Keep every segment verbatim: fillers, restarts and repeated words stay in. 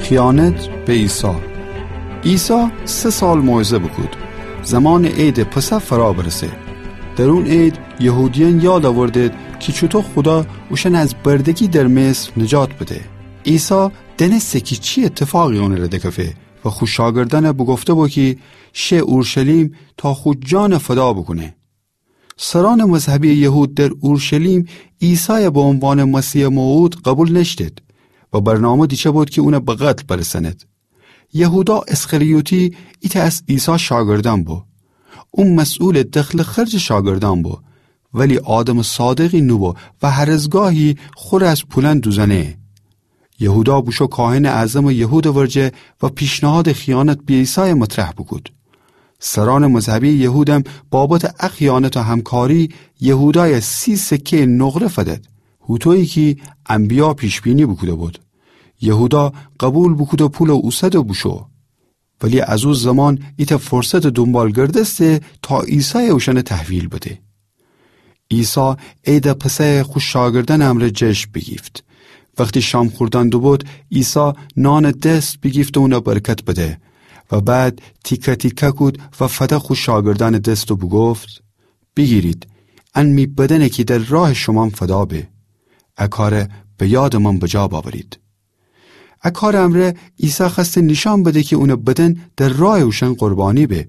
خیانت به عیسی. عیسی سه سال موعظه بوکود. زمانٚ عیدٚ پسح فرا برسه. در اون عید یهودیأن یاد آوردید کی چوطو خودا اوشأن از بردگی در مصر نجات بده. عیسی دأنسته کی چی ایتفاقی اونٚ ره دکفه و خو شاگردأن بوگفته بو کی شه اورشلیم تا خو جان فدا بوکونه. سرأنٚ مذهبی یهود در اورشلیم عیسای به عنوانٚ مسیحٚ موعود قبول نأشتید و برنامه دیچه بود کی اون به قتل برسأنید. یهودا اسخریوطی ایتأ از عیسی شاگردأن بو. او مسئولٚ دخل و خرجٚ شاگردأن بو، ولی آدمٚ صادقی نوبو و هر از گاهی خو ره از پولأن دوزأنه. یهودا بوشو کاهنٚ اعظمٚ یهودٚ ورجه و پیشنهادٚ خیانت به عیسای مطرح بوکود. سرأنٚ مذهبی یهودم بابتٚ ا خیانت و همکاری یهودای سی سکه‌یٚ نقره فدید، هوطویی کی انبیا پیش‌بینی بوکوده بود. یهودا قبول بوکود و پول اوسد و بوشو. ولی از او زمان ایتأ فرصتٚ دونبال گردسته تا عیسای اوشأن تحویل بده. عیسی عیدٚ پسح خو شاگردأنٚ امرأ جشن بیگیفت. وختی شام خوردن دوبود، عیسی نانٚ دست بیگیفت و اون برکت بده و بعد تیکه تیکه کود و فده خو شاگردأنٚ دست و بوگفت: بیگیرید، ان می بدأنه کی در راهٚ شومأن فدا به. ا کار به یادٚ من بجا باورید. ا کارٚ امرأ عیسی خوأسته نیشأن بده کی اونٚ بدن در راهٚ اوشأن قربانی به.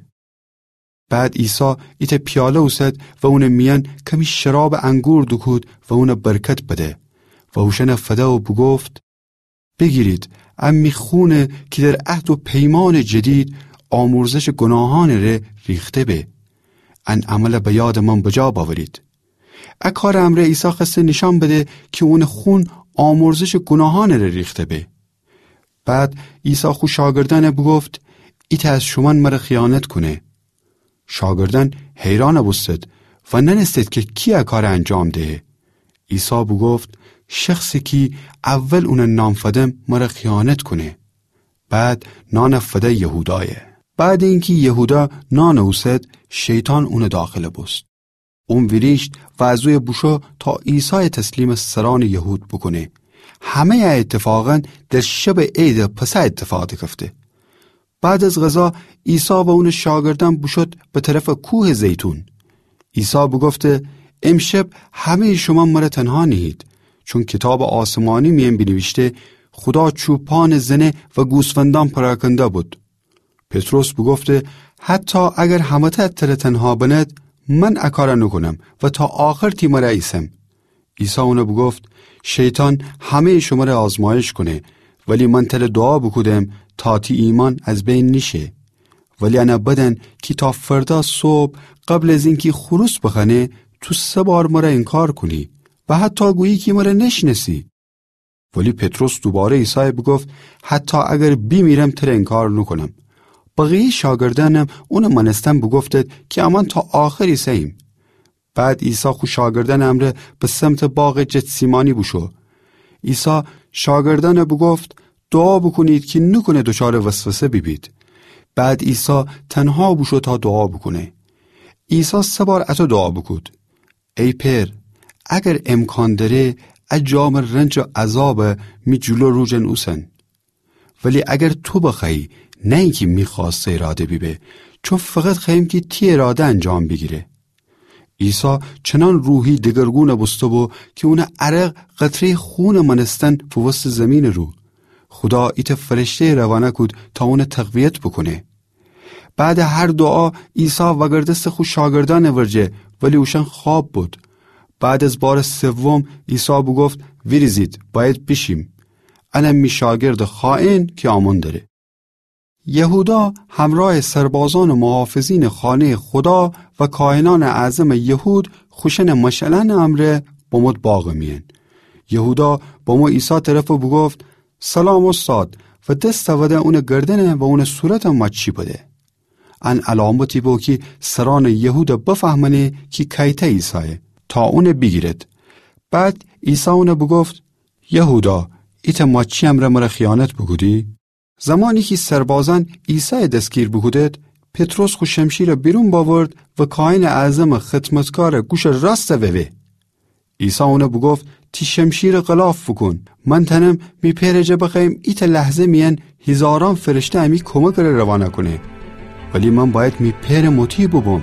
بعد عیسی ایتأ پیاله اوسد و اونٚ میأن کمی شرابٚ انگور دوکود و اون برکت بده و اوشأن فده و بوگفت: بیگیرید، ا می خونه کی در عهد و پیمانٚ جدید آمرزشٚ گوناهأنٚ ره ریخته به. ان عمل به یادٚ من بجا باورید. ا کارٚ امرأ عیسی خوأسته نیشأن بده کی اونٚ خون آمرزشٚ گوناهأنٚ ره ریخته به. بعد عیسی خو شاگردأن بوگفت: ایتأ از شومأن مر خیانت کونه. شاگردأن حیرأن بوستید و نأنستید کی کی ا کار انجام دهه. عیسی بوگفت: شخصی کی اول اون نان فدم مر خیانت کونه. بعد نان فده یهودای. بعدٚ اینکی یهودا نان اوسد، شیطان اونٚ داخل بوست. اون ویریشت و از اویه بوشو تا عیسای تسلیمٚ سرأنٚ یهود بوکونه. همه‌یٚ ا ایتفاقأن در شبٚ عیدٚ پسح ایتفاق دکفته. بعد از غذا عیسی و اونٚ شاگردأن بوشود به طرفٚ کوهٚ زیتون. عیسی بوگفته: امشب همه‌یٚ شومأن مر تنها نیهید، چون کیتابٚ آسمانی میأن بینیویشته: خودا چوپانٚ زنه و گوسفندأن پراکنده بود. پطرس بوگفته: حتی اگر همه‌تأ تر تنها بنید، من ا کار نوکونم و تا آخر تی مر ایسم. عیسی اون بوگفت: شیطان همه‌یٚ شمر آزمایش کونه، ولی من تر دعا بوکودم تا تی ایمأن از بین نیشه. ولی ان بدأن کی تا فردا صبح قبل از اینکی خروس بخوأنه، تو سه بار مر انکار کونی و حتی گویی کی مر نشنأسی. ولی پطرس دوباره عیسای بوگفت: حتی اگر بیمیرم تر انکار نوکونم. بقیه‌یٚ شاگردأنم اون مأنستن بوگفتید کی امأن تا آخر ایسه‌ییم. بعد عیسی خو شاگردأنٚ امرأ به سمتٚ باغٚ جتسیمانی بوشو. عیسی شاگردأن بوگفت: دعا بوکونید کی نوکونه دوچارٚ وسوسه بیبید. بعد عیسی تنها بوشو تا دعا بوکونه. عیسی سه بار اطو دعا بوکود: ای پئر، اگر امکان دأره، ا جامٚ رنج و عذاب می جلو رو جن اوسن. ولی اگر تو بخوأیی، نه اینکی می خوأست و اراده بیبه، چون فقط خوأیم کی تی اراده انجام بیگیره. عیسی چنأن روحی دگرگون بوسته‌بو کی اونٚ عرق قطره‌یٚ خونٚ مأنستن فووسته زیمینٚ رو. خودا ایتأ فرشته‌یٚ روانه کود تا اون تقویت بوکونه. بعدٚ هر دعا عیسی وأگردسته خو شاگردأنٚ ورجه، ولی اوشأن خواب بود. بعد از بارٚ سوم عیسی بوگفت: ویریزید، بأید بیشیم. ان می شاگردٚ خائن کی آمون دره. یهودا همرأیٚ سربازأنٚ محافظینٚ خانه‌یٚ خودا و کاهنأنٚ اعظمٚ یهود خوشأنٚ مشعلأنٚ امرأ بمود باغٚ میأن. یهودا بمو عیسی طرف و بوگفت: سلام استاد، و دس فده اونٚ گردن و اونٚ صورت ماچی بده. ان علامتی بو کی سرأنٚ یهود بفهمأنه کی کأیتأ عیسایه، تا اون بیگیرد. بعد عیسی اون بوگفت: یهودا، ایتأ ماچی امرأ مر خیانت بوکودی؟ زمانی کی سربازأن عیسای دسگیر بوکودد، پطرس خو شمشیر بیرون بأورد و کاهنٚ اعظمٚ خدمتکارٚ گوشٚ راست ووه. عیسی اون بوگفت: تی شمشیرٚ غلاف بوکون. من تأنم می پئرٚ جا بخوأیم ایتأ لحظه میأن هیزارأن فرشته امی کمکٚ ره روانه کونه. ولی من بأید می پئرٚ مطیع بوبوم.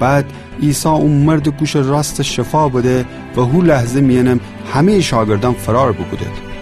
بعد عیسی او مردٚ گوشٚ راستٚ شفا بده و هو لحظه میأنم همه‌یٚ شاگردأن فرار بوکودد.